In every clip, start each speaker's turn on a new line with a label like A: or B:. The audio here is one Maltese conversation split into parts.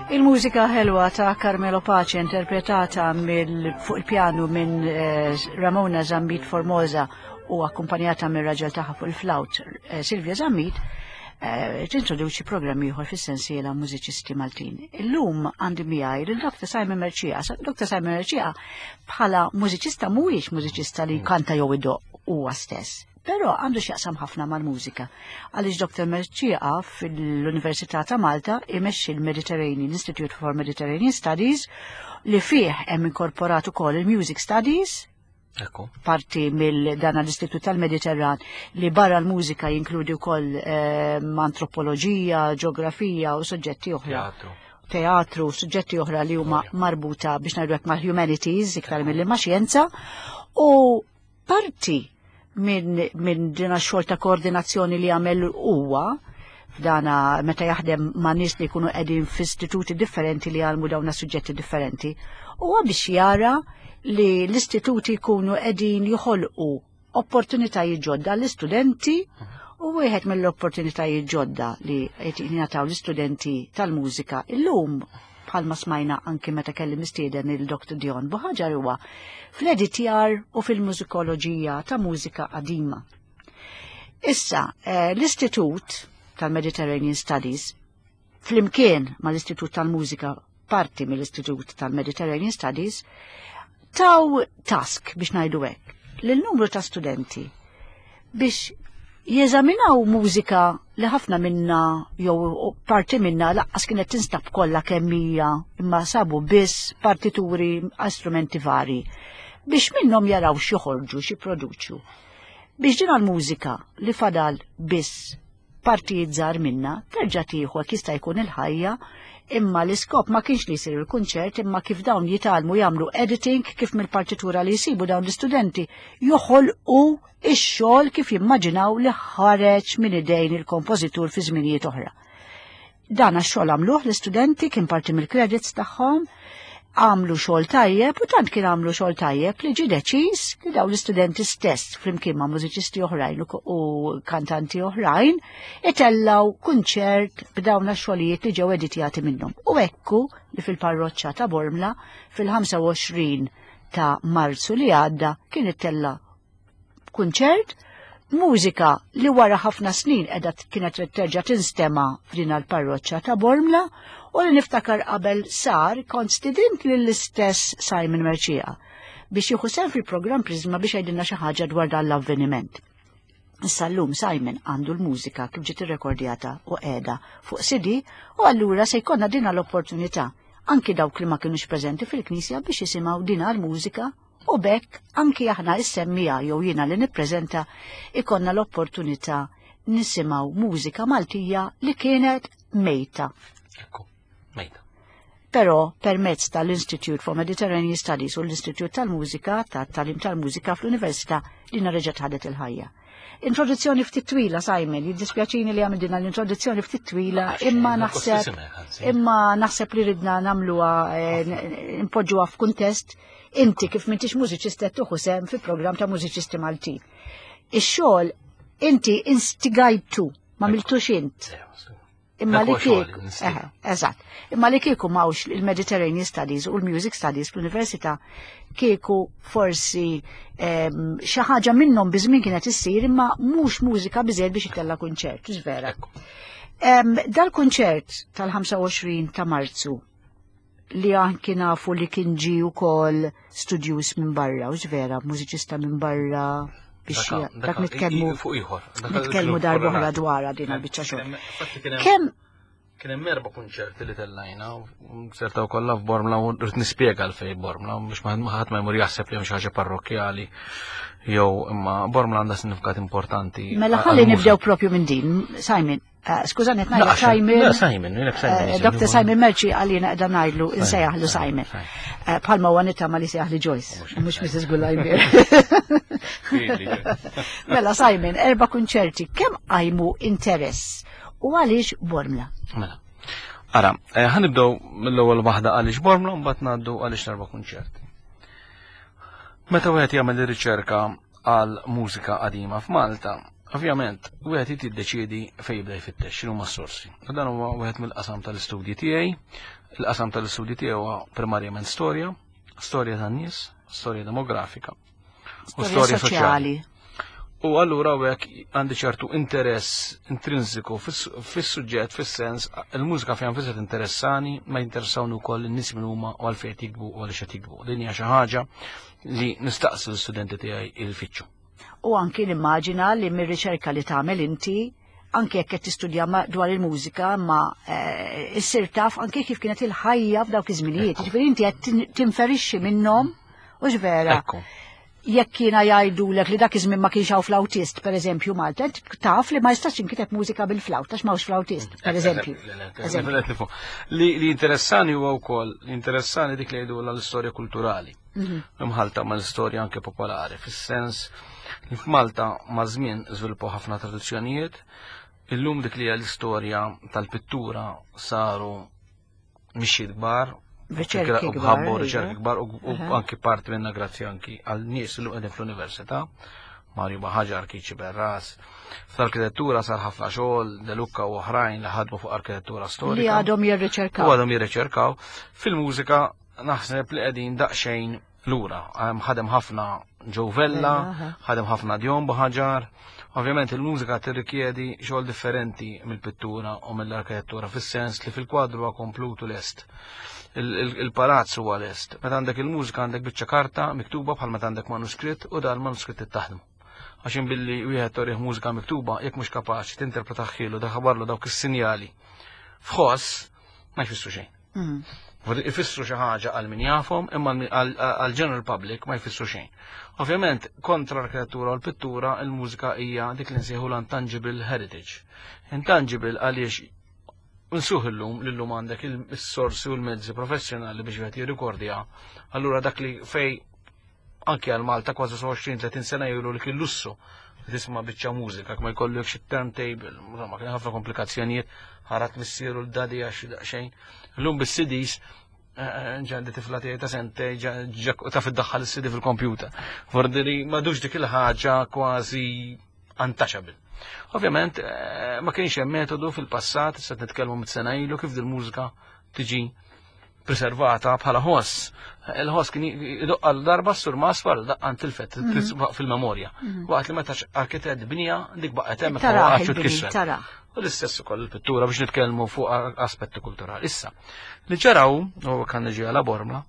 A: Il-mużika ħelwa ta' Carmelo Pace interpretata mill fuq il-pjanu minn eh, Ramona Zammit Formosa u akkumpanjata minn raġel tagħha fuq il-flaut eh, Silvia Zammit eh, tintroduċi programm ieħor fis-sensiela Mużiċisti Maltin. Illum għandi miegħi lil Dr. Simon Merċija. Dr. Simon Merċija bħala mużiċista mhuwiex mużiċista li jkanta jew idoq huwa stess. Però għandu x'jaqsam ħafna mal-mużika. Għaliex Dr. Merċieqa fil-Università ta' Malta imexxi l-Mediterranean Institute for Mediterranean Studies li fih hemm inkorporat ukoll il-Music Studies,
B: Ekku.
A: parti mill dan l-Istitut tal-Mediterran li barra l-mużika jinkludi wkoll ehm, antropoloġija, ġeografija u suġġetti oħra.
B: Teatru.
A: Teatru, suġġetti oħra li huma marbuta biex ngħidu hekk mal-humanities iktar milli ma' xjenza. U parti minn min din xogħol ta' koordinazzjoni li għamel huwa f'dana meta jaħdem ma' nies li jkunu qegħdin f'istituti differenti li jgħallmu dawna suġġetti differenti, huwa biex jara li l-istituti jkunu qegħdin joħolqu opportunitajiet ġodda l-istudenti u wieħed mill-opportunitajiet ġodda li qed jingħataw l-istudenti tal-mużika illum bħalma smajna anki meta kelli mistieden il-Dr. Dion Buħaġar huwa fl-editjar u fil-mużikoloġija ta' mużika qadima. Issa, eh, l-Istitut tal-Mediterranean Studies flimkien mal-Istitut tal-Mużika parti mill-Istitut tal-Mediterranean Studies taw task biex ngħidu hekk lil numru ta' studenti biex jeżaminaw mużika li ħafna minna jew parti minna laqqas kienet tinstab kollha kemm hija imma sabu biss partituri għal strumenti vari biex minnhom jaraw x'joħorġu x'jipproduċu. Biex din għall-mużika li fadal biss partijiet żgħar minnha terġa' tieħu hekk jista' jkun il-ħajja imma l-iskop ma kienx li jsir il-kunċert imma kif dawn jitgħallmu jagħmlu editing kif mill-partitura li jsibu dawn l-istudenti joħolqu ix-xogħol kif jimmaġinaw li ħareġ minn idejn il-kompożitur fi żminijiet oħra. Dan għax-xogħol għamluh l-istudenti kien parti mill-credits tagħhom, għamlu xogħol tajjeb u tant kien għamlu xogħol tajjeb li ġie deċiż li dawn l-istudenti stess flimkien ma' mużiċisti oħrajn u kantanti oħrajn itellaw kunċert b'dawn għax-xogħlijiet li ġew editjati minnhom. U ekku li fil-parroċċa ta' Bormla fil-25 ta' Marzu li għadda kien ittella' kunċert mużika li wara ħafna snin edha kienet terġa' tinstema' f'din l-parroċċa ta' Bormla u li niftakar qabel sar kont stidint lill-istess Simon Merċija biex jieħu sehem fil-programm Prisma biex jgħidilna xi ħaġa dwar dan l-avveniment. Issa llum Simon għandu l-mużika kif ġiet irrekordjata u qiegħda fuq CD u allura se jkollna dina l-opportunità anki dawk li ma kinux preżenti fil-knisja biex jisimgħu dina l-mużika U b'hekk anki aħna is-semmiegħa jew jiena li nippreżenta ikonna l-opportunità nisimgħu mużika Maltija li kienet mejta.
B: Ekku, mejta.
A: Però permezz tal-Institute for Mediterranean Studies u l-Istitut tal-Mużika tat-Talim tal-Mużika fl-Università li reġgħet ħadet il-ħajja. Introduzzjoni ftit twila, Simon, jiddispjaċini li għamil din l-introduzzjoni ftit twila, imma naħseb imma naħseb li ridna nagħmluha eh, npoġġuha f'kuntest inti kif m'intix mużiċist qed tuħu sehem fi programm ta' mużiċisti Maltin. Ix-xogħol inti instigajtu, ma miltux int. Imma li kieku, eżatt, imma li kieku mawx il-Mediterranean Studies u l-Music Studies fl-Università kieku forsi ehm, xi ħaġa minnhom biżmien kienet issir imma mhux mużika biżejjed biex itella' kunċert, vera. Ehm, dal-kunċert tal-25 ta' Marzu li anki nafu li kien ġi wkoll studjuż minn barra, u vera, mużiċista minn barra biex dak nitkellmu
B: fuq ieħor.
A: Nitkellmu darba oħra dwarha din il-biċċa xogħol. Kemm
B: Kien hemm erba' kunċerti li tellajna, sertaw kollha f'Bormla u rrid nispjega għalfejn Bormla biex ma ħadd ma jmur jaħseb li hemm xi ħaġa parrokkjali jew imma Bormla għandha sinifikat importanti.
A: Mela ħalli nibdew propju minn din, Simon. Eh, skużani, qed ngħidlek Simon.
B: Simon, Simon.
A: Eh, Dr. Simon Merċi għalina qiegħda ngħidlu insejjaħlu Simon. Eh, bħalma huwa nittama li sejjaħli Joyce, mhux Mrs. Gullajmir. Mela Simon, erba' kunċerti, kemm qajmu interess u għaliex Bormla?
B: Mela. Ara, ħanibdew mill-ewwel waħda għaliex Bormla u mbagħad ngħaddu għaliex l-erba' kunċerti. Meta wieħed jagħmel ir-riċerka għal mużika qadima f'Malta. Ovvjament, wieħed irid jiddeċiedi fejn jibda jfittex x'inhuma s-sorsi. U dan huwa wieħed mill-qasam tal-istudji tiegħi. Il-qasam tal-istudji tiegħi huwa primarjament storja, storja tan-nies, storja demografika u
A: Storja soċjali.
B: U allura hekk għandi ċertu interess intrinsiku fis-suġġett, fis-sens, il-mużika fejn nfisha interessani, ma jinteressawni wkoll in-nies min huma u għalfejn qed jiktbu u għaliex qed jiktbu. Din hija xi ħaġa li nistaqsi l-istudenti tiegħi il-fittxu.
A: U anki nimmaġina li mir-riċerka li tagħmel inti, anki jekk qed tistudja dwar il-mużika, ma issir taf anki kif kienet il-ħajja f'dawk iż-żminijiet. Jiġifieri inti qed tinferixxi minnhom, u vera.
B: Ekku.
A: Jekk kiena jgħidulek li dak iż-żmien ma kienx hawn flautist, pereżempju Malta, int taf li ma jistax jinkiteb mużika bil-flawt għax m'hawnx flautist, pereżempju.
B: Eżempju. Li interessani huwa wkoll, li interessani dik li jgħidu l-istorja kulturali. Imħalta ma l-istorja anke popolari, fis-sens li f'Malta ma' żmien żviluppaw ħafna tradizzjonijiet, illum dik li hija l-istorja tal-pittura saru mixjiet kbar,
A: Riċerki
B: u
A: kbar,
B: ħabbu
A: iva.
B: riċerki kbar u anki parti minna grazzi anki għal nies li qegħdin fl-università, Mario Buhagiar, Keith Sciberras. Fl-arkitettura sar ħafna xogħol, De Lucca u oħrajn li ħadmu fuq arkitettura storika.
A: Li għadhom jirriċerkaw.
B: U għadhom jirriċerkaw. Fil-mużika naħseb li qegħdin daqsxejn lura. Ħadem ħafna Joe Vella,
A: Vella, aha.
B: ħadem ħafna Dion Buhagiar. Ovvjament il-mużika tirrikjedi xogħol differenti mill-pittura u mill-arkitettura, fis-sens li fil-kwadru huwa komplutu lest. Il-palazz huwa lest. Meta għandek il-mużika għandek biċċa karta miktuba bħal meta għandek manuskritt u dan manuskritt ittaħdmu. Għax billi wieħed torih mużika miktuba jekk mhux kapaċi tinterpretaħħilu daħbarlu dawk is-sinjali f'ħoss ma jfissru xejn. Ifissru xi ħaġa għal min jafhom, imma għal general public ma jfissru xejn. Ovvjament, kontra l-arkitettura u l-pittura, il-mużika hija dik li nsejħu l-untangible heritage. Intangible għaliex nsuh illum, l-lum għandek il-sorsi u l-mezzi professjonali biex wieħed jirrikordja. Allura dak li fej anke għal Malta kważi 20-30 sena ilu li kien lussu tisma' biċċa mużika, ma jkollok xi turntable, insomma kien ħafna komplikazzjonijiet, ħarat missieru l-dadi għax daqsxejn. Illum bis-CDs, ġandi tifla tiegħi ta' sentej, ġa ta' fid-daħħal is-CD fil-kompjuter. Vordiri m'għadux dik il-ħaġa kważi untouchable. Ovvjament, ma kienx hemm metodu fil-passat, issa nitkellmu mit sena ilu kif dil-mużika tiġi preservata bħala ħoss. Il-ħoss kien idoqq għal darba s-sur masfar daqqa tilfet fil-memorja. Waqt li meta arkitett bnija dik baqgħet hemm
A: Taraħ
B: ma waqgħetx u
A: il-bini,
B: tkissret.
A: taraħ.
B: U l-istess ukoll il-pittura biex nitkellmu fuq aspetti kulturali. Issa, li ġaraw, u kan niġi għala Bormla,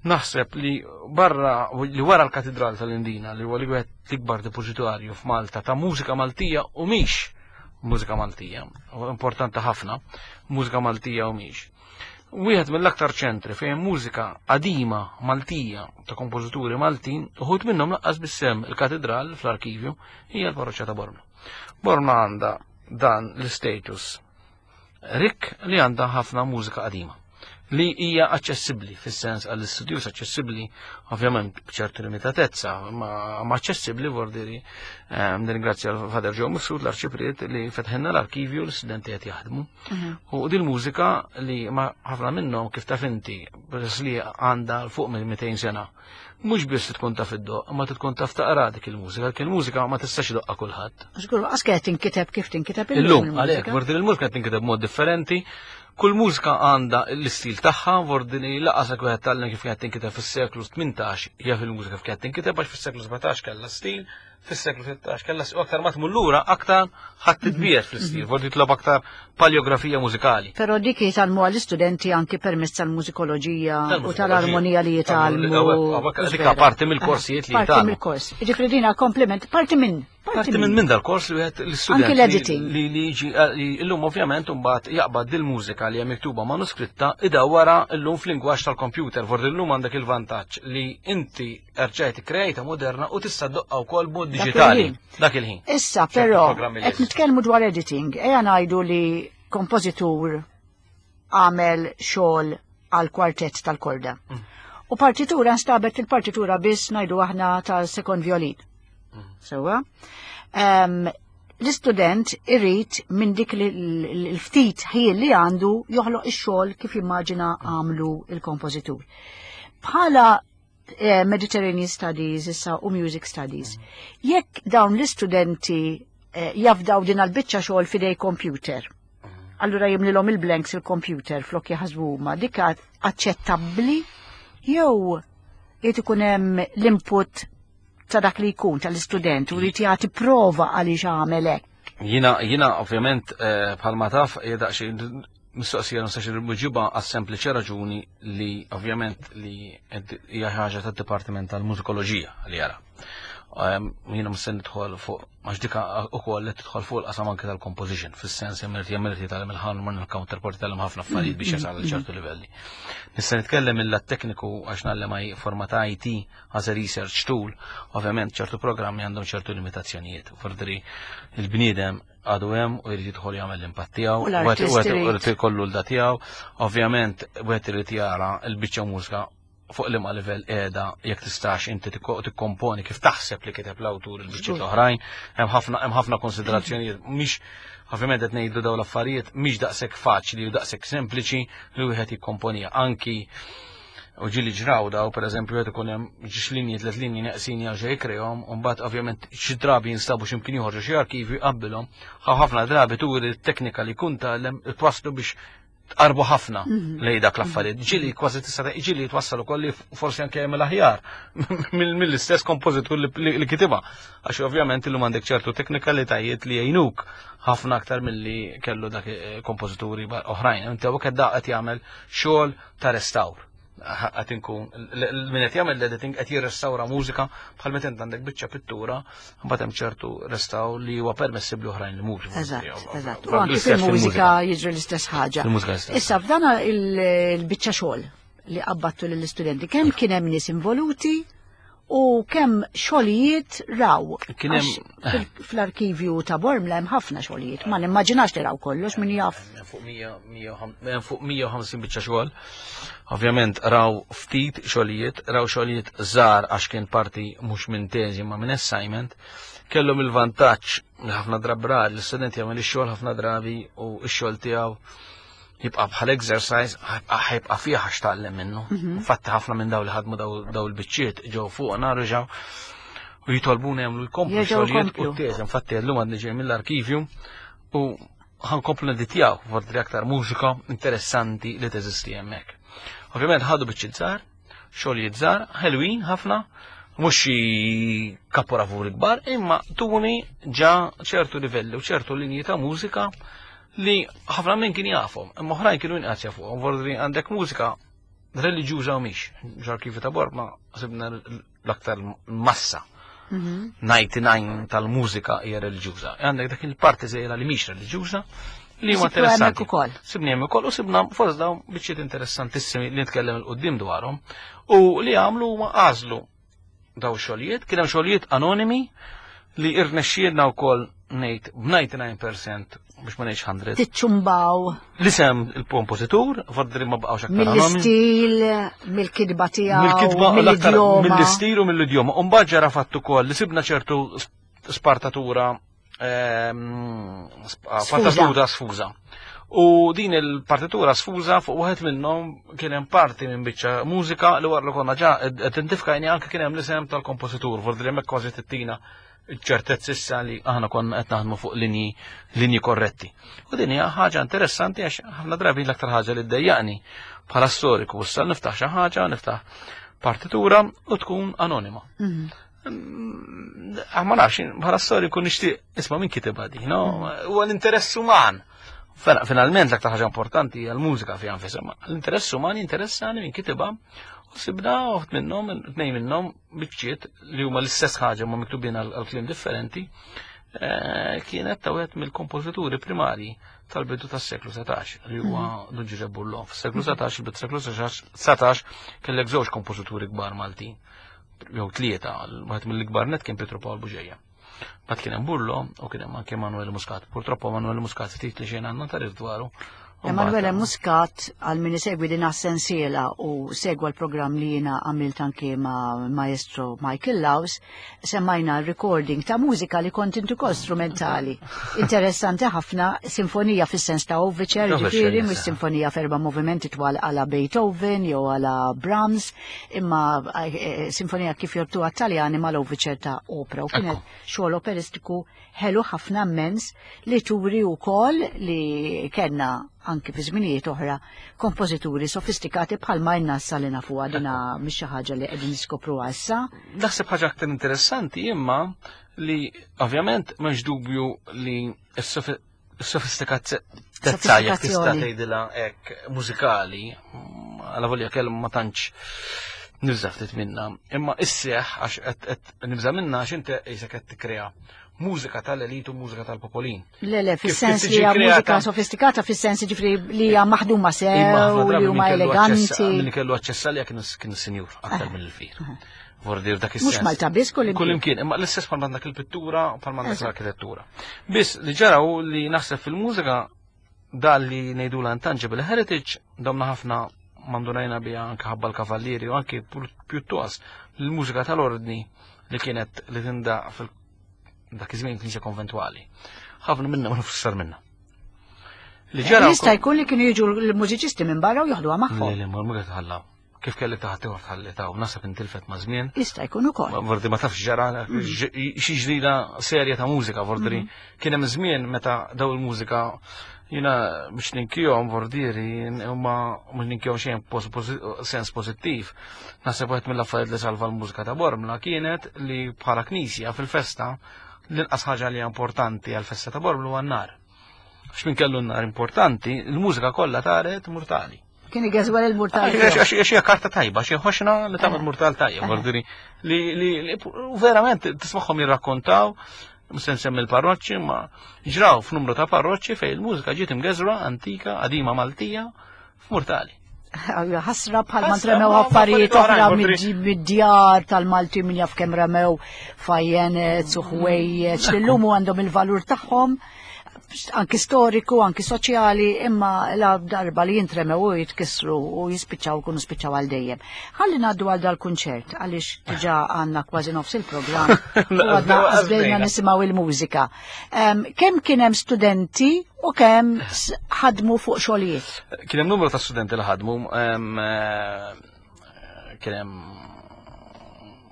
B: naħseb li barra li wara l-Katedral tal-Indina li huwa li wieħed l-ikbar depożitarju f'Malta ta' mużika Maltija u mhix mużika Maltija, u importanti ħafna, mużika Maltija u mhix. Wieħed mill-aktar ċentri fejn mużika qadima Maltija ta' kompożituri Maltin, uħud minnhom laqqas bissem il-katedral fl-arkivju hija l-parroċċa ta' Bormla. Bormla għandha dan l-status rik li għandha ħafna mużika qadima li hija aċċessibbli fis-sens għall-istudjus aċċessibbli ovvjament b'ċertu limitatezza, ma aċċessibbli vordiri. Nirringrazzja l-Father Joe Mifsud, l-Arċipriet, li fetħenna l-arkivju l-istudenti qed jaħdmu. U din mużika li ma ħafna minnhom kif taf inti peress li għandha l fuq minn 200 sena. Mhux biss tkun taf iddoq, ma tkun taf taqra dik il-mużika, dik il-mużika ma tistax idoqqa kulħadd.
A: Żgur, għax qed tinkiteb kif tinkiteb illum
B: Illum,
A: il-mużika.
B: għalhekk, vordiri il-mużika qed tinkiteb mod differenti. Kull mużika għandha l-istil tagħha, vordini laqas wieħed tgħallem kif kienet tinkiteb fis-seklu 18, hija fil-mużika kif kienet tinkiteb għax fis-seklu 17 kellha stil, fis-seklu 16 kellha u aktar ma tmur lura aktar ħadd titbiegħed fl-istil, vordi titlob aktar paleografija mużikali.
A: Però dik jitgħallmu għall-istudenti anki permezz tal-mużikoloġija u
B: Tal-mużikoloġija.
A: tal-armonija li jitgħallmu.
B: Dik parti mill-korsijiet li
A: Parti
B: jitgħallmu.
A: mill-kors. Jiġifieri dina komplement, parti minn.
B: Parti minn dal-kors li wieħed l-istudent
A: Anki l-editing.
B: li jiġi li illum ovvjament imbagħad jaqbad dil-mużika li hija miktuba manuskritta idawwara illum fl-lingwaġġ tal-computer. Vordi illum għandek il-vantaġġ li inti rġajt krejta moderna u tista' ddoqqa wkoll b'mod
A: Dak
B: diġitali
A: il-ħin.
B: dak il-ħin.
A: Issa
B: ċertu
A: però
B: programmi li
A: qed
B: jeżistu.
A: nitkellmu dwar editing, ejja ngħidu li kompożitur għamel xogħol għal kwartett tal-korda. U partitura nstabet il-partitura biss ngħidu aħna tal-second violin. Sewwa. L-istudent irid minn dik l-ftit ħin li għandu joħloq ix-xogħol kif jimmaġina għamlu il-kompożitur. Bħala Mediterranean Studies issa u Music Studies, jekk dawn l-istudenti Jafdaw din għal-biċċa xogħol f'idej computer. Allura jimlilhom il-blanks il-computer flok jaħsbu huma. Dik aċċettabbli jew irid ikun hemm l-input ta' dak li jkun tal-istudent u jrid jagħti prova għaliex għamel hekk?
B: Jina ovvjament bħalma taf hija daqsxejn mistoqsija nistax nirmuġiba għas-sempliċi raġuni li ovvjament li hija ħaġa tad-Dipartiment tal-Mużikoloġija li jara. Jiena mhux se nidħol fuq għax dika ukoll li tidħol fuq il-qasam anke tal-composition, fis-sens jagħmel jagħmel jitgħallem il-ħan il-counterpart jitgħallem ħafna affarijiet biex jasal għal ċertu livelli. Nista' nitkellem mill tekniku għax ngħallem forma ta' IT as a research tool, ovvjament ċertu programmi għandhom ċertu limitazzjonijiet. Fordri il-bniedem għadu hemm u jrid jidħol jagħmel l-impatt tiegħu,
A: U l-artist
B: u
A: irid.
B: irid ikollu l-da tiegħu, ovvjament wieħed irid jara l-biċċa mużika fuq liema livell qiegħda jekk tistax inti tikkomponi kif taħseb li kiteb l-awtur il-biċċiet l-oħrajn, hemm ħafna konsiderazzjonijiet mhix ovvjament qed ngħidu dawn l-affarijiet mhix daqshekk faċli u daqshekk sempliċi li wieħed jikkomponija anki u ġieli ġraw daw, per eżempju, qed ikun hemm ġiex linji, tliet linji neqsin jerġa' jikrehom, u mbagħad ovvjament xi drabi jinstabu x'imkien joħorġu xi arkivju jqabbilhom, ħafna drabi turi t-teknika li jkun tgħallem twasslu biex tqarbu ħafna lej dak l-affarijiet. Ġieli kważi tista' ġieli twassal ukoll li forsi anke jagħmel aħjar mill-istess kompożitur li kitibha. Għax ovvjament illum għandek ċertu teknikalitajiet li jgħinuk ħafna aktar milli kellu dak kompożituri oħrajn. Inti hawnhekk qed qed jagħmel xogħol ta' restawr. Qed inkun min qed jagħmel l-editing qed jirrestawra mużika bħal meta int għandek biċċa pittura, mbagħad hemm ċertu restawr li huwa permessibbli oħrajn li mhux.
A: Eżatt. U anki fil-mużika jiġri l-istess ħaġa.
B: Fil-mużika l-istess.
A: Issa f'dana il-biċċa xogħol li qabbattu lill-istudenti, kemm kien hemm nies involuti u kemm xogħlijiet raw?
B: Kien hemm-
A: Għax fl-arkivju ta' Bormla hemm ħafna xogħlijiet, ma nimmaġinax li raw kollox, min jaf.
B: Hemm fuq fuq 150 biċċa xogħol. Ovvjament raw ftit xogħlijiet, raw xogħlijiet żgħar għax kien parti mhux minn teżi ma minn assignment. Kellhom il-vantaġġ li ħafna drabi rar l-istudent jagħmel ix-xogħol ħafna drabi u x-xogħol tiegħu jibqa' bħal exercise, ħajbqa' fih għax tgħallem minnu. Infatti ħafna minn daw li ħadmu daw il-biċċiet ġew fuqna reġgħu u jitolbuna jagħmlu jkomplu
A: Jerġgħu
B: xogħlijiet u
A: jkomplu.
B: t-teżi. Infatti llum għadni ġej mill-arkivju u ħankomplu neditjaw fordri aktar mużika interessanti li teżisti hemmhekk. Ovvjament ħadu biċċiet żgħar, xogħlijiet żgħar, ħelwin ħafna, mhux xi kapolavuri kbar, imma tuni ġa ċertu livelli u ċertu linji ta' mużika li ħafna minn kien jafhom, imma oħrajn kienu inqas jafuhom. Vordri għandek mużika reliġjuża u mhix. Ġarkivi ta' Bormla sibna l-aktar massa. 99 tal-mużika hija reliġjuża. Għandek dak il-parti żgħira li mhix reliġjuża li huma
A: Sibtu hemmhekk
B: interessanti.
A: ukoll.
B: Sibni hemm ukoll u sibna fost dawn biċċiet interessantissimi li nitkellem il-qudiem dwarhom u li għamlu huma għażlu daw xogħlijiet, kien hemm xogħlijiet anonimi li irnexxielna wkoll ngħid b'99% biex ma ngħidx 100.
A: Tiċċumbaw.
B: L-isem il-kompożitur, fordri ma baqgħux aktar anonimi.
A: Mill-istil, mill-kitba tiegħu,
B: Mill-kitba u l-aktar
A: mill-idjoma.
B: mill-istil u mill-idjoma. U mbagħad ġara fatt ukoll li sibna ċertu spartatura
A: Sfuża.
B: partitura sfuża. U din il-partitura sfuża fuq wieħed minnhom kien hemm parti minn biċċa mużika li wara li konna ġa identifikajni anke kien hemm l-isem tal-kompożitur, fordri hemmhekk kważi tittina ċertezz issa li aħna konna qed naħdmu fuq linji korretti. U din hija ħaġa interessanti għax ħafna drabi l-aktar ħaġa li ddejjaqni bħala storiku issa niftaħ xi ħaġa, niftaħ partitura u tkun anonima. Ma nafx, bħala storiku nixtieq isma' min kitibha di, no? Huwa l-interess uman. Finalment l-aktar ħaġa importanti hija l-mużika fiha nfisha, ma l-interess uman jinteressani min kitibha u sibna uħt minnhom, tnejn minnhom biċċiet li huma l-istess ħaġa ma miktubin għal kliem differenti, kienet ta' wieħed mill-kompożituri primarji tal-bidu tas-seklu 19 li huwa Dun Ġużepp Burlò. Fis-seklu 19, il-bidu tas-seklu 19 kellek żewġ kompożituri kbar Maltin, jew tlieta, wieħed mill-ikbar net kien Pietro Pawl Bugeja. Bat kien hemm Burlò u kien hemm anke Manuel Muscat. Purtroppo Manuel Muscat ftit li xejn għandna tarif dwaru.
A: Emanuele Muscat għal min isegwi din sensiela u segwa l-programm li jiena għamilt anke ma' maestro Michael Laus, semmajna recording ta' mużika li kont intu kol strumentali. Interessanti ħafna, sinfonija fis-sens ta' Overture, ġifieri mhux sinfonija f'erba' movimenti twal għala Beethoven jew għala Brahms, imma eh, eh, sinfonija kif jortuha Taljani mal-Overture ta' opera u kienet xogħol operistiku ħelu ħafna mmens li turi wkoll li kellna anki fi żminijiet oħra kompożituri sofistikati bħalma jna issa li nafuha dina mhix xi ħaġa li qegħdin niskopruha issa.
B: Naħseb ħaġa aktar interessanti imma li ovvjament m'hemmx dubju li s-sofistikatezza jekk tista' tgħidilha hekk mużikali, għala volja kelma ma tantx nibża ftit minna, imma isseħ għax qed nibża minna għax inti qisek qed tikkrea mużika tal-elit u mużika tal-popolin.
A: Le, le, fis-sens li hija mużika sofistikata, fis-sens ġifri li hija maħduma sew, li huma eleganti.
B: Min kellu aċċess għalija kienu sinjur aktar mill-fir. Vordir dak
A: is Mhux Malta biss kull
B: imkien. Kull imkien, imma l-istess bħal għandek il-pittura, bħal għandek l-arkitettura. Biss li ġara hu li naħseb fil-mużika dal li ngħidu l-intangible heritage domna ħafna mandunajna bija anke ħabba l-kavallieri u anke pjuttost l-mużika tal-ordni li kienet li tindaq fil dak iż-żmien knisja konventwali. Ħafna minna ma nifsar minna.
A: Li ġara Jista' jkun li kienu jiġu l-mużiċisti minn barra u joħduha magħhom.
B: Le, le, ma tħallaw. Kif kellek taħt ieħor tħalli ta' u nasab intilfet ma' żmien.
A: Jista' jkun ukoll.
B: Vordi ma tafx ġara xi ġrida serja ta' mużika, vordri kien hemm żmien meta daw il-mużika jina biex ninkijom vordieri huma mhux ninkijom xejn sens pożittiv. Naħseb wieħed mill-affarijiet li salva l-mużika ta' Bormla kienet li bħala knisja fil-festa l-inqas ħaġa li importanti għal-festa ta' Bormla huwa n-nar. Għax min kellu n-nar importanti, il-mużika kollha taret murtali.
A: Kien igeżwel il-murtal.
B: Għax hija karta tajba, xi ħoxna li tagħmel murtal tajjeb, vordiri li li verament tismagħhom jirrakkontaw, mhux se nsemmi l-parroċċi, ma ġraw f'numru ta' parroċċi fejn il-mużika ġiet imgeżra antika, qadima Maltija, f'murtali.
A: Ħasra bħal ma tremew affarijiet oħra mid-djar tal-Malti min jaf kemm remew fajjenet, suħwejjeġ, li llum għandhom il-valur tagħhom anki storiku, anki soċjali, imma la darba li jintremew u jitkissru u jispiċċaw kunu spiċċaw għal dejjem. Ħalli ngħaddu għal dal-kunċert għaliex diġà għandna kważi nofs il-programm u għadna għażbejna nisimgħu il-mużika. Kemm kien hemm studenti u kemm ħadmu fuq xogħlijiet?
B: Kien hemm numru ta' studenti li ħadmu, kien hemm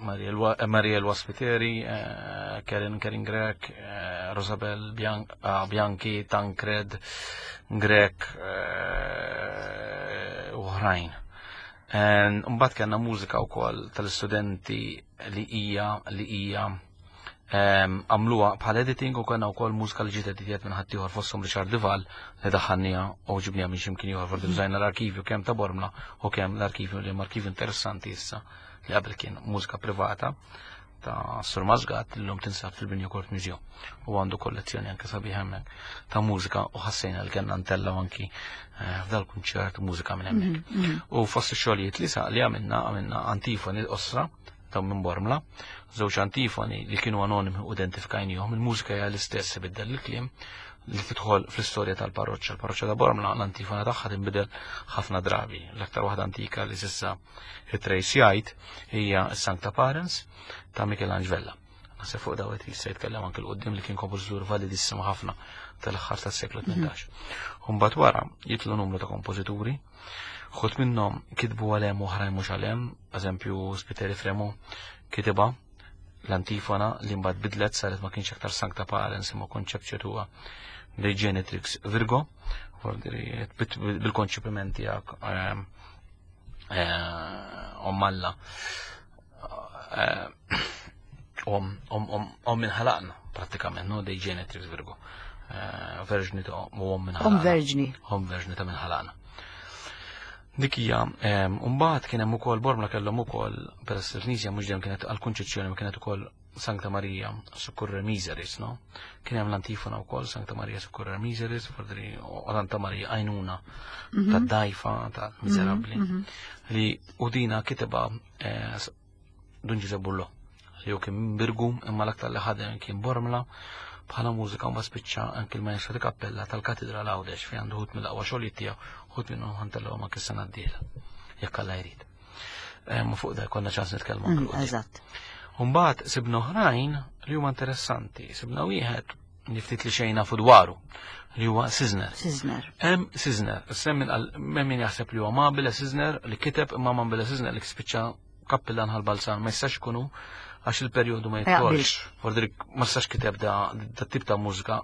B: Mariel Waspiteri, eh, Karen Karen Grek, eh, Rosabel ah, Bianchi, Tancred, Grek eh, u oħrajn. Mbagħad kellna mużika wkoll tal-istudenti li hija li hija għamluha bħal editing u kellna wkoll mużika li ġiet editjat minn ħaddieħor fosthom Richard Dival li daħħalniha u ġibniha minn x'imkien ieħor forsi użajna l-arkivju kemm ta' Bormla u kemm l-arkivju li hemm arkivju interessanti issa li qabel kien mużika privata ta' Sur Masgat li l-lum tinsab fil-Binja Court Museum u għandu kollezzjoni anke sabiħ hemmhekk ta' mużika u ħassejna li kellna ntellgħu anki eh, f'dal kunċert mużika minn hemmhekk. U fost ix-xogħlijiet li sa li għamilna għamilna antifoni l-qosra ta' minn Bormla, żewġ antifoni li kienu anonimi u identifikajnihom, il-mużika hija l-istess ibiddel il-kliem li tidħol fl-istorja tal-parroċċa. Il-parroċċa ta' Bormla l-antifona tagħha tinbidel ħafna drabi. L-aktar waħda antika li s'issa it-trace jgħid hija s-Sancta Parens ta' Michelangelo Vella. Naħseb fuq dawet jista' jitkellem anke l-qudiem li kien kompożitur validissimo ħafna tal-aħħar tas-seklu 18. Mbagħad wara jitlu numru ta' kompożituri, ħut minnhom kitbu għal hemm oħrajn mhux għal hemm, eżempju Spiteri Fremo kitibha l-antifona li mbagħad bidlet saret ma kienx aktar Sancta Parens imma Conceptio Tua de Genetrix Virgo, bil-konċepiment tiegħek ehm, eh, om Alla eh, om om minn ħalaqna prattikament no dei Genetrix Virgo. Eh, verġni ta' u om minn
A: ħalaqna. Om verġni.
B: Om verġni ta' minn ħalaqna. Dik hija, mbagħad kien hemm ukoll Bormla kellhom ukoll peress il-Knisja mhux dejjem kienet għall-Kunċizzjoni ma kienet ukoll Sancta Maria Succurre Miseris, no? Kien hemm l-antifona wkoll Sancta Maria Succurre Miseris, fordri u Santa Maria għajnuna tad-dajfa tal-miżerabbli li u dina kiteba eh, Dun Ġużepp Bullo li hu kien Birgu imma l-aktar li ħadem kien Bormla. bħala mużika u ma spiċċa anki l-maestro di kappella tal-Katedral Għawdex fejn għandu ħut mill-aqwa xogħlijiet tiegħu, ħut minnhom ħantellhom anke s-sena d-dieħla. Jekk Alla jrid. Eh, ma fuq da konna ċans nitkellmu anke.
A: Eżatt.
B: Umbagħad sibna oħrajn li huma interessanti. Sibna wieħed li ftit li xejn nafu dwaru li huwa Sisner.
A: Sisner.
B: Hemm Sisner, semmin hemm min jaħseb li huwa Mabile Sisner li kiteb imma Mabile Sisner li spiċċa kappillan ħal-Balzan ma jistax ikunu għax il-perjodu ma jidħolx. Fordrik ma jistax kiteb da, da tip ta' mużika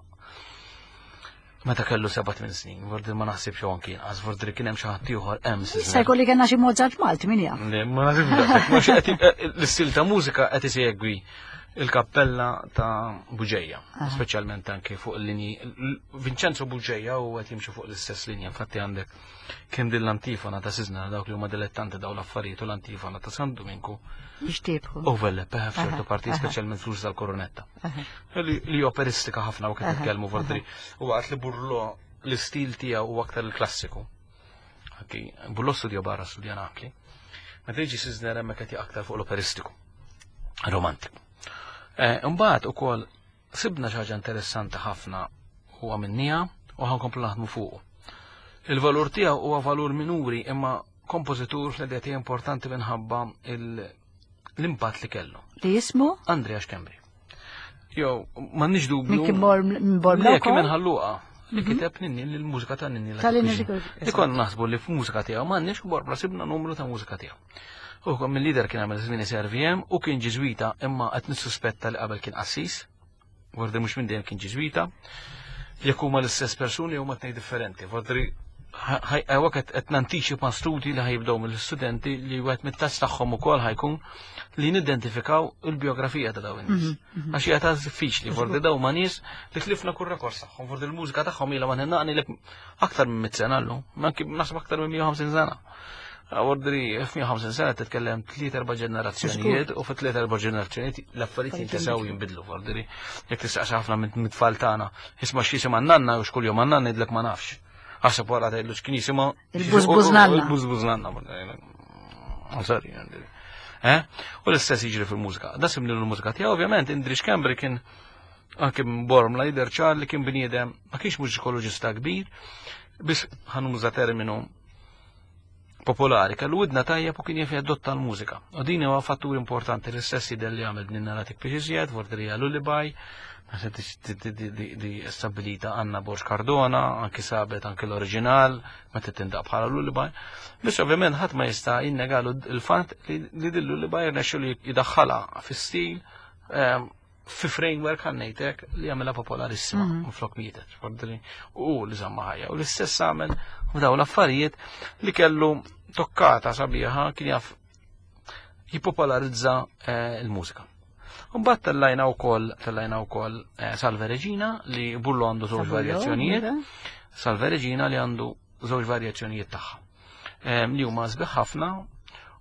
B: meta kellu 7 snin, Vordri ma naħsibx hawn kien, għax Vordri kien hemm xi ħadd ieħor hemm
A: Issa jkolli kellna xi Mozart Malti min jaf.
B: Le, ma naħsibx eh, l-istil ta' mużika qed isegwi il-kappella ta' Buġeja, speċjalment anke fuq il-linji. Vincenzo Buġeja u qed jimxi fuq l-istess linja, infatti għandek Kien din l-antifona ta' Sizna dawk li huma dilettanti daw l-affarijiet u l-antifona ta' San Dominku.
A: Jixtiebħu.
B: Overlap, eh, f'ċertu parti, speċjalment fl tal-koronetta. Li operistika ħafna u kif nitkellmu vordri. U għat li Burlo l-istil tiegħu huwa aktar il-klassiku. Burlo studio barra studja Napli. Meta jiġi Sizner hemmhekk qed aktar fuq l-operistiku. Romantiku. Eh, imbagħad ukoll Sibna xi ħaġa interessanti ħafna u għamilniha u ħankomplu naħdmu fuqu. Il-valur tiegħu huwa valur minuri imma kompożitur fl-idea tiegħi importanti minħabba l-impatt li kellu.
A: Li jismu?
B: Andrea Schembri. Jew, m'għandniex dubju.
A: Min kien bor
B: Le, kien minn ħalluqa li mhm. kiteb ninni l-mużika ta' ninni. Li konna naħsbu li f'mużika tiegħu m'għandniex u borbra sibna numru ta' mużika tiegħu. U mill-lider kien għamel żmien SRVM u kien ġiżwita imma qed nissuspetta li qabel kien qassis. Vordi mhux minn dejjem kien ġiżwita. Jekk huma l-istess persuni huma tnejn differenti. Vordri għawek qed nantiċipa studji li ħajibdew mill-istudenti li wieħed mit-test tagħhom ukoll ħajkun li nidentifikaw il-biografija ta' dawn in-nies. Mhm, mhm. Għax hija ta' diffiċli, vordi daw ma' nies li tlifna kull rekors tagħhom, vordi l-mużika tagħhom ilha ma nħennaqni li aktar minn 100 sena llum, naħseb aktar minn 150 sena. Ordri, f'150 sena titkellem tliet erba' ġenerazzjonijiet u fi tliet erba' ġenerazzjonijiet l-affarijiet jintesew jinbidlu. Ordri, jekk tistaqsi ħafna minn tfal tagħna, isma' x'jisimha nanna u x'kull jum nanna ngħidlek ma nafx. Ħaseb wara tgħidlu x'kien jisimha.
A: Il-bużbuż nanna.
B: Il-bużbuż nanna. Sorry, eh? U l-istess jiġri fil-mużika. Da simni l-mużika tiegħu, ovvjament, Indri Schembri kien anke minn Bormla jidher ċar li kien bniedem ma kienx mużikoloġista kbir, biss ħanuża terminu popolari, kellu widna tajjeb u kien jaf jadotta l-mużika. U din huwa fattur importanti l-istess jidher li għamel din naratik biex iżjed, vordi li lullaby, di stabilita Anna Borg Cardona, anki sabet anki l-oriġinal, meta tindaq bħala lullaby. Biss ovvjament ħadd ma jista' jinnegalu l-fatt li din lullaby rnexxu li jidaħħalha fi-stil ehm, fi framework għannejtek li għamela popolarissima mm -hmm. flok mietet, u li zamma ħajja. U l-istess għamel f'daw l-affarijiet li kellu tokkata sabiħa kien jaf jipopolarizza eh, il-mużika. Mbagħad tellajna wkoll tellajna wkoll eh, Salve Regina li Bullo għandu żewġ varjazzjonijiet. Salve Regina li għandu żewġ varjazzjonijiet tagħha. Eh, li huma sbieħ ħafna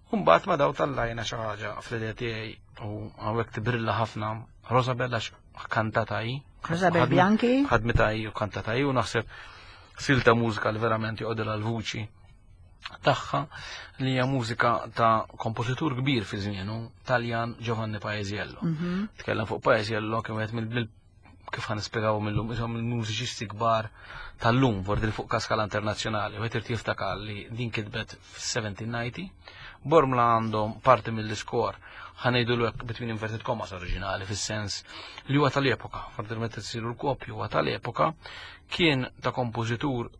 B: u mbagħad ma daw tallajna xi ħaġa fl-idea tiegħi u hawnhekk tibrilla ħafna Rosabella kantata hi.
A: Rosabel Bianchi.
B: Ħadmita hi u kantata hi u naħseb silta mużika li verament joqgħodilha l-vuċi tagħha li hija mużika ta' kompożitur kbir fi żmienu, Taljan Giovanni Paesiello. Mhm. Tkellem fuq Paesiello kien wieħed mill kif ħan nispjegaw mill-lum, isom il-mużiċisti kbar tal-lum, vordi fuq kaskala internazzjonali, u irid jiftakar li din kitbet f-1790, Bormla għandhom parti mill-iskor, ħanejdu l between inverted commas oriġinali, fis-sens li huwa tal-epoka, fordi meta tsiru l-kopju huwa tal-epoka, kien ta' kompożitur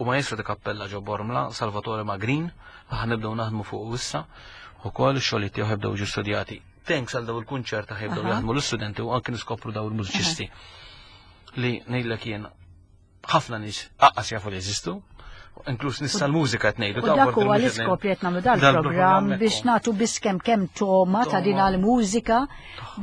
B: u maestro ta' kappella ġo Bormla, Salvatore Magrin, ħanibdew naħdmu fuq issa, u kol xogħlijiet tiegħu ħebdew ġu studjati thanks għal daw il-kunċert ta' ħibdew jaħdmu l-istudenti u anki niskopru daw il-mużiċisti li ngħidlek jien ħafna nies aqqas jafu li jeżistu, inkluż nies tal-mużika qed ngħidu.
A: U dak huwa l-iskop li qed nagħmlu dal-programm biex nagħtu biss kemm kemm toma ta' din għall-mużika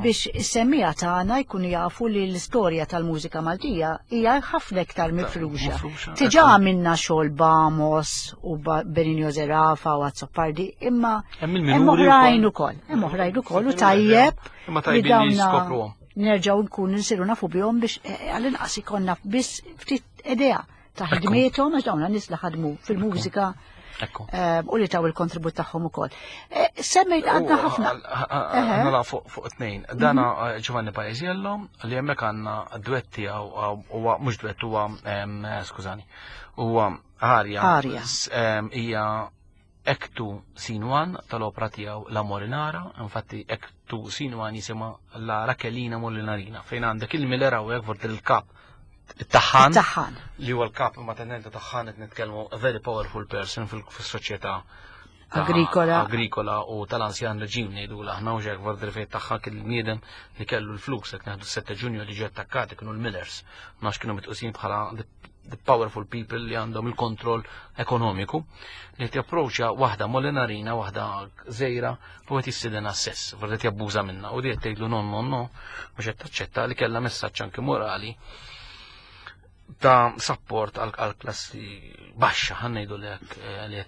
A: biex is-semmiegħa tagħna jkunu jafu li l-istorja tal-mużika Maltija hija ħafna iktar mifruxa. Tiġà għamilna xogħol Bamos u Benigno Zerafa u Azzopardi, imma hemm oħrajn ukoll. Hemm oħrajn ukoll u tajjeb
B: li dawna
A: nerġgħu nkunu nsiru nafu bihom biex eh, għall-inqas ikollna biss ftit idea ta' ħidmiethom għax dawn nies li ħadmu fil-mużika. U li taw il-kontribut tagħhom ukoll. Semmejt għandna ħafna.
B: Nala fuq tnejn. Dana mhm. Giovanni Paesiello li hemmhekk għandna dwett tiegħu huwa mhux dwett huwa skużani. Huwa arja.
A: Arja.
B: Hija Act 2 Scene 1 tal-opra tiegħu La Molinara, infatti Act 2 Scene 1 jisimha La Rachelina Molinarina, fejn għandek il-Miller hawnhekk vort il-kap it-taħħan.
A: It-taħħan.
B: Li huwa l-kap imma tenenta taħħan qed nitkellmu a very powerful person fis-soċjetà
A: agrikola.
B: Agrikola u tal-anzjan reġim ngħidu aħna u ġek vort fejn tagħha kien il-bniedem li kellu l-flus qed neħdu 7 Ġunju li ġie attakkati kienu l-Millers. Ma kienu mitqusin bħala the powerful people li għandhom il-kontroll ekonomiku li japproċċja waħda molinarina, waħda żejra u qed jissidena sess, forsi qed jabbuża minnha u di qed tgħidlu non non no, mhux qed taċċetta li kellha messaġġ anke morali ta' support għal klassi baxxa ħa ngħidu lek eh,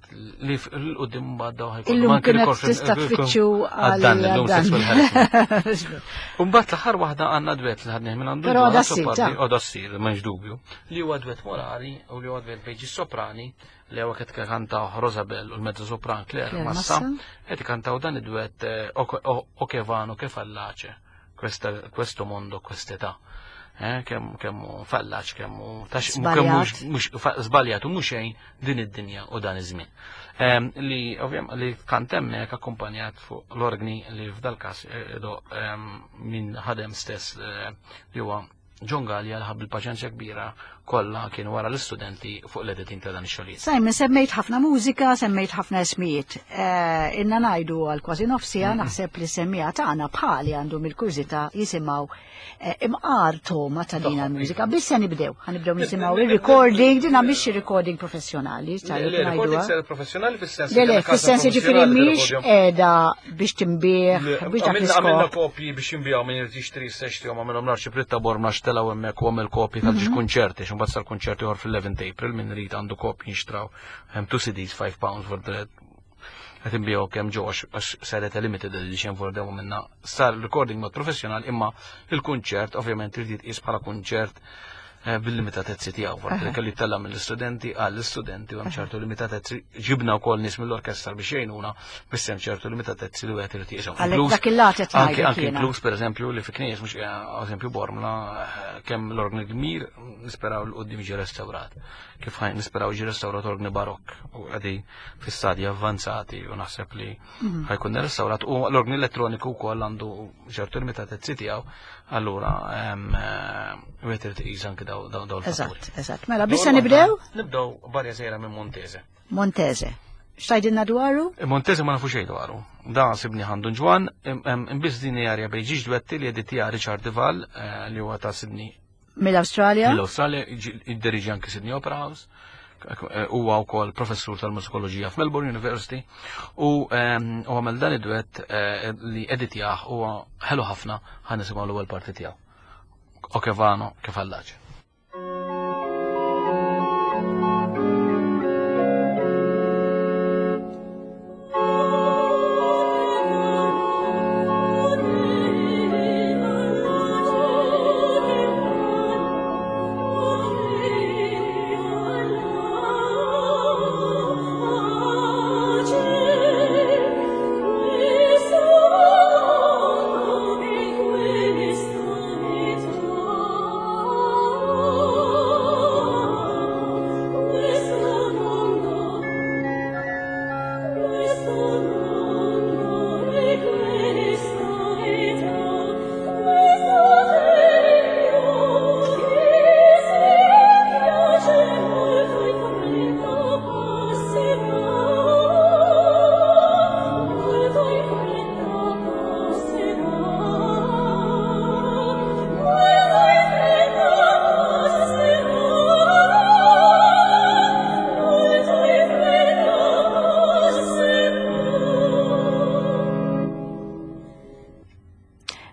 B: li l-qudiem mbagħad daw
A: ħajkun. Illum kienet tista' tfittxu għal
B: dan illum sexual harassment. Mbagħad l-aħħar waħda għandna dwet li ħadnih minn għandu.
A: Però għadha ssir.
B: Għadha ssir, m'hemmx dubju. Li huwa dwet morali u li huwa dwet bejn soprani li huwa qed kantaw Rosabel u l-mezzo sopran Claire Massa qed ikantaw dan id-dwet eh, O che vano che fallace questo mondo quest'età. Eh, kemm kemm fallaċ, kemm mhux żbaljat u mhux xejn din id-dinja u dan iż-żmien. Li ovvjament li kant hemmhekk akkumpanjat fuq l-organi li f'dal-każ eh, minn ħadem stess eh, li huwa John Gallia li ħab il-paċenzja kbira kollha kien wara l-istudenti fuq l-editing ta' dan ix-xogħlijiet.
A: Simon, semmejt ħafna mużika, semmejt ħafna ismijiet. Eh, inna ngħidu għal kważi nofsija naħseb li semmija tagħna bħali għandhom il-kurżità jisimgħu eh, imqar toma ta' din għal-mużika. Biss se nibdew, ħanibdew nisimgħu il-recording, dina mhix recording professjonali,
B: tajjeb ngħidu. Professjonali fis-sens.
A: Le, le, fis-sens jiġifieri mhix qiegħda biex tinbih, biex dak
B: l-iskop. Għamilna kopji biex jinbijaw minn irid jixtri jista' jixtrihom għamilhom l-Arċipriet ta' Bormla xtelgħu hemmhekk u għamel kopji tal-ġiex mhm. kunċerti, x'imbagħad sar kunċerti ieħor fil-11 April minn irid għandu kopji jinxtraw hemm two CDs 5 pounds for the qed inbiegħu kemm ġew għax saret a limited edition for demo minna sar recording mod professjonal imma il-kunċert ovvjament irid jitqies bħala kunċert eh, bil-limitatezzi tiegħu, forsi kelli tella mill-istudenti għall-istudenti u hemm ċertu limitatezzi ġibna wkoll nies mill-orkestra biex jgħinuna biss hemm ċertu limitatezzi li wieħed irid jiqishom.
A: Għalhekk dak il-lat qed
B: Anke anke inkluż pereżempju li fi knejjes mhux eh, eżempju Bormla eh, kemm l-orgni kbir nisperaw l qudiem jiġi restawrat. Kif ħajn nisperaw jiġi restawrat orgni barokk u għadi fi stadji avvanzati u naħseb li mhm. ħajkun restawrat u l-orgni elettroniku wkoll għandu ċertu limitatezzi tiegħu, allura eh, wieħed irid iqis anke daw daw
A: l-fatturi. Eżatt, eżatt. Mela bissa nibdew?
B: Nibdew barja sejra minn Montese.
A: Montese. X'tajdilna dwaru?
B: Eh, Montese ma nafu xejn dwaru. Da sibni għandu ġwan, imbiss din hija bejn ġiġ dwetti li editija Richard Dival eh, li huwa ta' Sydney
A: Mill-Awstralja?
B: Mill-Awstralja, id-diriġi anki Sydney Opera House eh, huwa wkoll professur tal-mużikoloġija f'Melbourne University u ehm, għamel dan id-duett eh, li editjah huwa ħelu ħafna ħa nisimgħu l-ewwel parti tiegħu. Okevano kif għallaġ.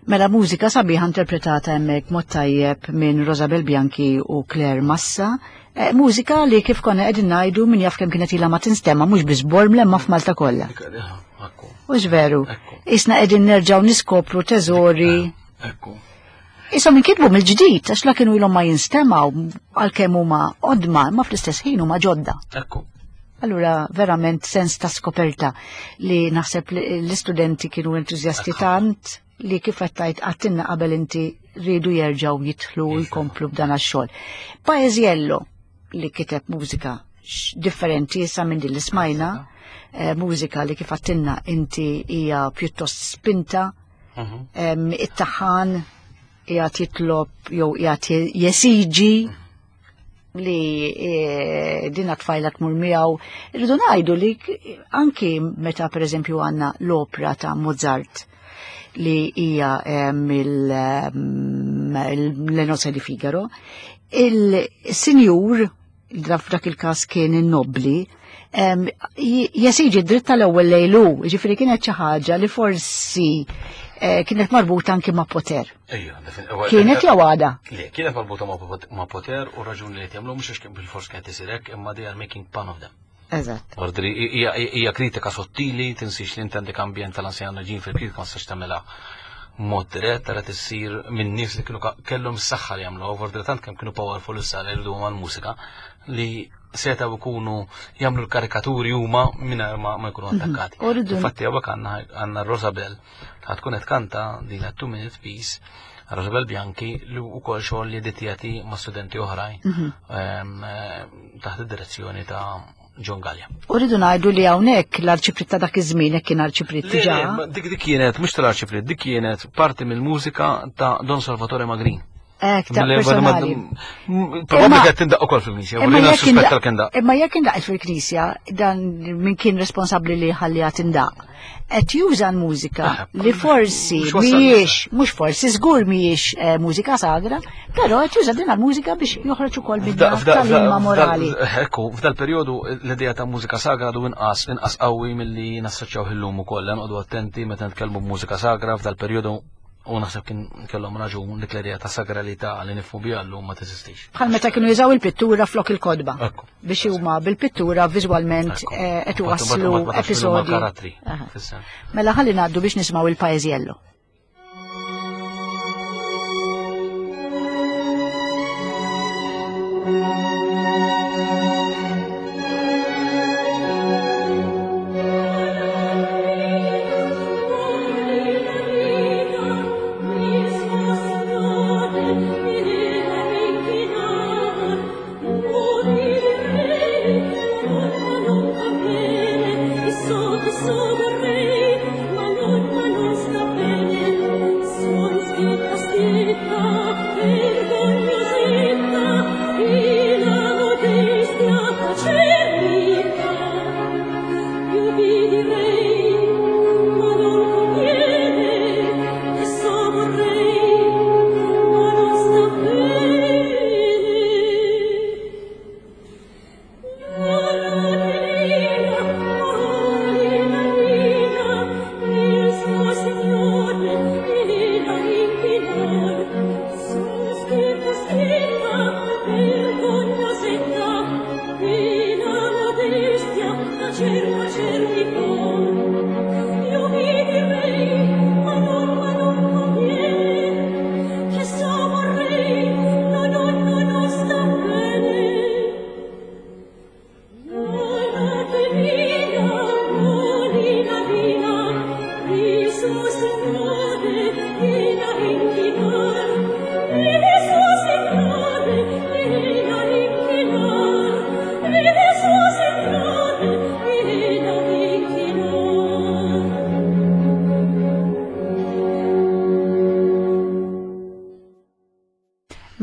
A: Mela mużika sabiħa interpretata hemmhekk mod tajjeb minn Rosabel Bianchi u Claire Massa. Eh, mużika li kif konna qegħdin ngħidu min jaf kemm kienet ilha ma tinstema' mhux biss Bormla imma f'Malta kollha. Hux veru. Isna qegħdin nerġgħu niskopru teżori.
B: Ekku.
A: Isom inkitbu mill-ġdid għax la kienu ilhom ma jinstemaw għalkemm huma qodma imma fl-istess ħin huma ġodda.
B: Ekku.
A: Allura verament sens ta' skoperta li naħseb l-istudenti kienu entużjasti tant li kif qed tgħid għattinna qabel inti rridu jerġgħu jidħlu u jkomplu b'dan għax-xogħol. Paesiello li kiteb mużika differenti issa minn din li smajna, eh, mużika li kif għattinna inti hija pjuttost spinta, mhm. it-taħan qiegħed jitlob jew qiegħed jesiġi li e, dina tfajla tmur miegħu. Irridu ngħidu li anki meta pereżempju għandna l-opra ta' Mozart li hija mill-Le Nozze di Figaro, il-sinjur, f'dak il-każ kien in-nobli, jesiġi dritt tal-ewwel lejlu, ġifieri kienet xi ħaġa li forsi eh, kienet marbuta anki ma' poter. Kienet jew għada?
B: Le, kienet marbuta ma' poter u raġuni li jagħmlu mhux għax bil-fors kienet isir hekk, imma they are making fun of them.
A: Eżatt.
B: Ordri, hija kritika sottili, tinsix li inti ambjent tal-anzjan ġin fil-kritika ma tistax tagħmilha mod dirett tara tissir minn nies li kienu kellhom s-saħħa li jagħmlu, ordri tant kemm kienu powerful issa li jridu mal-mużika li setgħu jkunu jagħmlu l-karikaturi huma mingħajr ma jkunu mhm. attakkati. Infatti hawnhekk għandna Rosabel ħad tkun qed kanta din two minute piece Rosabel Bianchi li wkoll xogħol li editjati ma' studenti oħrajn mhm. ehm, eh, taħt id-direzzjoni ta' John Gallia.
A: U rridu ngħidu li hawnhekk l-arċiprit ta' dak iż-żmien hekk kien arċiprit diġà.
B: Dik dik kienet mhux tal-arċiprit, dik kienet parti mill-mużika ta' Don Salvatore Magrin.
A: Ek, ta' personali.
B: Probabbli qed tindaq ukoll fil-Knisja, u jiena suspetta l
A: kien daq. Imma jekk indaqet fil-Knisja, dan min kien responsabbli li ħalliha tindaq. Qed juża l-mużika ah, li forsi mhijiex, mhux forsi żgur mhijiex eh, mużika sagra, però qed juża din l-mużika biex joħroġ ukoll minn tal-ilma morali.
B: Ekku, f'dal perjodu l-idea ta' mużika sagra du inqas inqas qawwi milli nassoċjaw illum ukoll, noqogħdu attenti meta nitkellmu b'mużika sagra f'dal perjodu U naħseb kien kellhom raġun dik l-idea ta' sagralità li nifhmu biha llum ma teżistix.
A: Bħal meta kienu jużaw il-pittura flok il-kodba. Biex huma bil-pittura viżwalment eh, qed iwasslu episodji. Mela ħalli ngħaddu biex nisimgħu il-Paeżjello.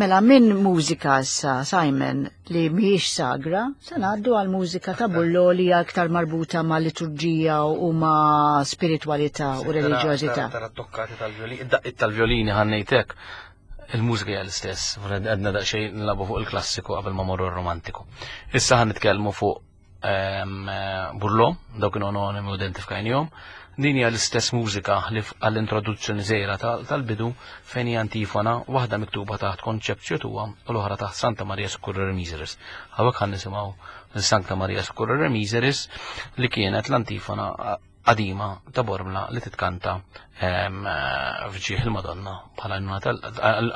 A: Mela minn mużika issa Simon li mhijiex sagra, se ngħaddu għal mużika ta' Bullo li hija aktar marbuta ma' liturġija u ma' spiritwalità u reliġjożità.
B: Tara tokkati tal-violini, id-daqqiet tal-violini ħannejtek il-mużika hija l-istess, għedna daqsxejn nlabu fuq il-klassiku qabel ma morru r-romantiku. Issa ħan nitkellmu fuq ehm, Burlo, dawk kienu anonimi u identifikajnihom. Din hija l-istess mużika li għall-introduzzjoni żgħira tal-bidu fejn hija antifona waħda miktuba taħt Conceptio Tua u l-oħra taħt Santa Maria Succurrere Miseris. Hawnhekk ħan nisimgħu Santa Maria Succurrere Miseris li kienet l-antifona qadima ta' Bormla li titkanta ehm, f'ġieħ il-Madonna bħala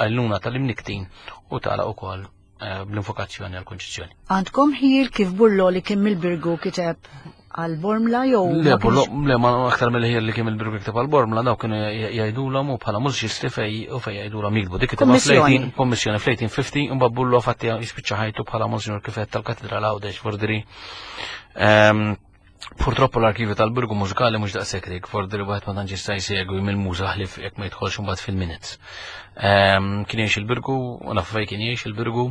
B: għajnuna tal-imniktin u tala ukoll. bl-invokazzjoni għall-Kunċizzjoni.
A: Għandkom ħjiel kif Burlo li kien mill-Birgu kiteb għal Bormla jew
B: Le, Burlo, le, ma aktar mill-ħjiel li kien mill-Birgu kiteb għal Bormla, daw kienu jgħidulhom u bħala mużiċisti fej u fej jgħidulhom jiktbu. Dik kitibha fl-18 kommissjoni fl-1850 imbagħad Burlo fatti jispiċċa ħajtu bħala Monsignor kif tal-Katedral Għawdex Fordri. Purtroppo l-arkivju tal-Birgu mużikali mhux daqshekk rik, fordi li wieħed ma tantx jista' jsegwi mill-muża ħlief jekk ma jidħolx imbagħad fil-minutes. Kien jgħix il-Birgu, u naf fejn kien jgħix il-Birgu,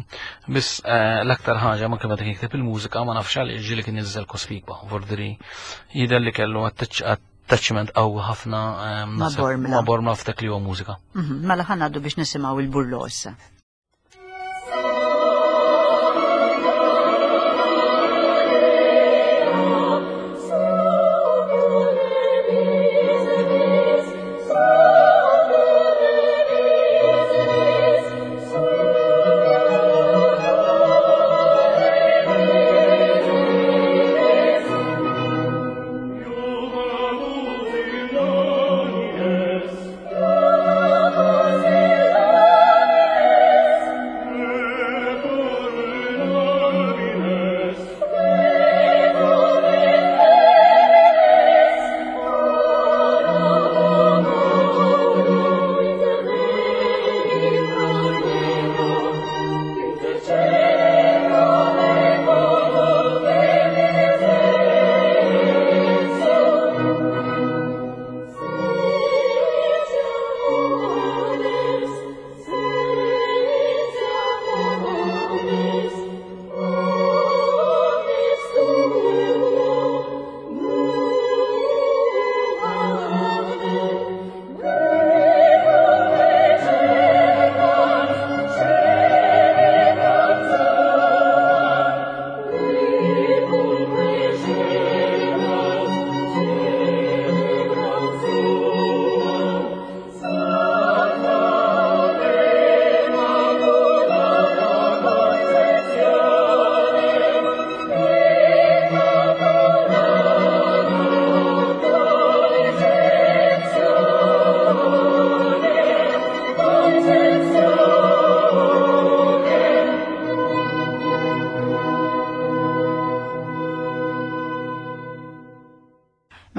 B: biss l-aktar ħaġa ma kien meta kien jikteb il-mużika ma nafx għaliex ġieli kien jiżżel Cospicua, fordi jidher li kellu attachment qawwi ħafna
A: Ma' Bormla.
B: Ma' Bormla f'dak li huwa mużika.
A: Mela ħa ngħaddu biex nisimgħu il-Burlo issa.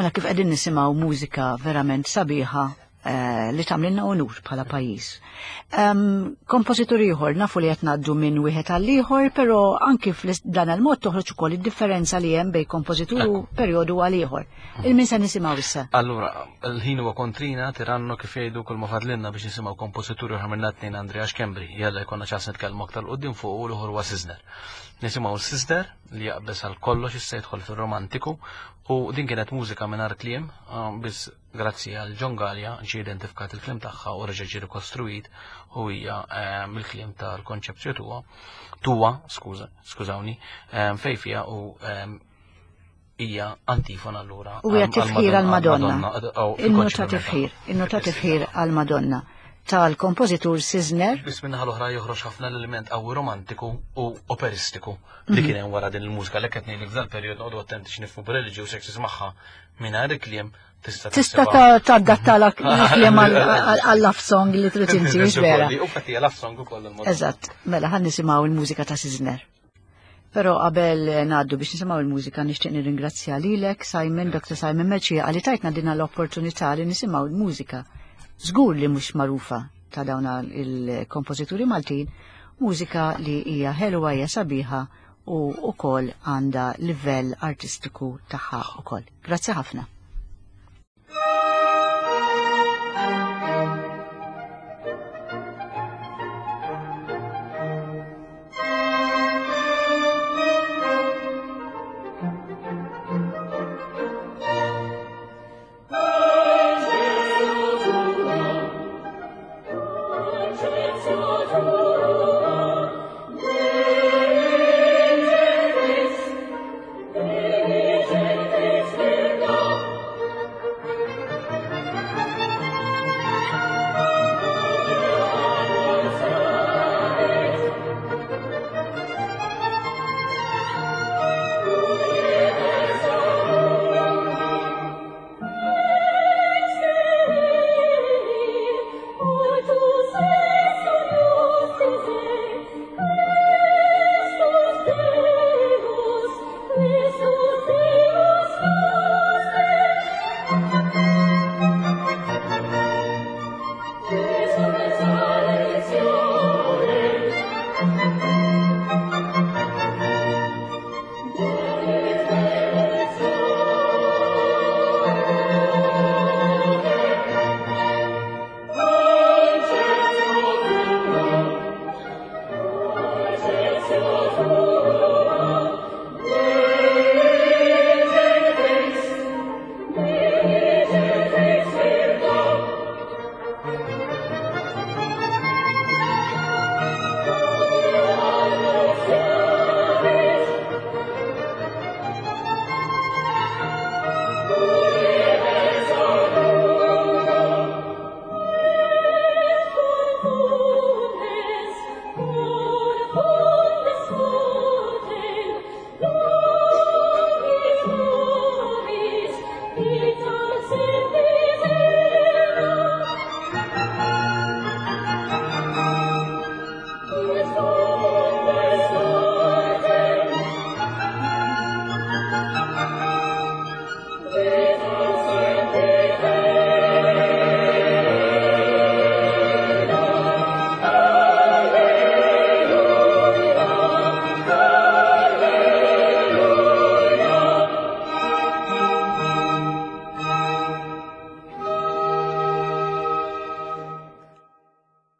A: Mela kif qegħdin nisimgħu mużika verament sabiħa li tagħmlilna onur bħala pajjiż. Kompożitur ieħor nafu li qed ngħaddu minn wieħed għal ieħor, però anki f'dan il-mod toħroġ ukoll id-differenza li hemm bejn kompożitur u perjodu għal ieħor. Il-min se nisimgħu issa?
B: Allura, l-ħin huwa kontrina, tirannu kif jgħidu kull ma fadlilna biex nisimgħu kompożitur ieħor minn tnejn Andrea Schembri. Jalla jkollna ċans nitkellmu aktar quddiem fuq u l-ieħor huwa Sisner. Nisimgħu Sisner li jaqbeż għal kollox issa jidħol fir-romantiku u din kienet mużika mingħajr kliem, biss grazzi għal John Gallia ġie identifikat il-kliem tagħha u reġa' ġie rikostruit u hija il-kliem tal-konċepzju tuwa, tuwa, skuża, skużawni, fej fija u hija antifona allura.
A: U hija tifħir għall-Madonna.
B: Il-nota
A: tifħir, il-nota tifħir għall-Madonna tal-kompożitur Sisner.
B: Biss minnaħa l-oħra joħroġ ħafna l-element qawwi romantiku u operistiku li kien hemm wara din il-mużika li qed ngħidlek f'dal perjodu noqogħdu attenti x'nifhmu b'reliġjuż jekk tismagħha mingħajr il-kliem tista'
A: Tista' tadatta l-kliem għal-love song li trid inti, mhux vera.
B: U fatti love song ukoll il-mod.
A: Eżatt, mela ħan nisimgħu il-mużika ta' Sisner. Però qabel ngħaddu biex nisimgħu il-mużika nixtieq nirringrazzja lilek Simon, Dr. Simon Mercieca, li tajtna din l-opportunità li nisimgħu l-mużika. Żgur li mhux magħrufa ta' dawn il-kompożituri Maltin, mużika li hija ħelwa, hija sabiħa u wkoll għandha livell artistiku tagħha wkoll. Grazzi ħafna.
C: Thank you.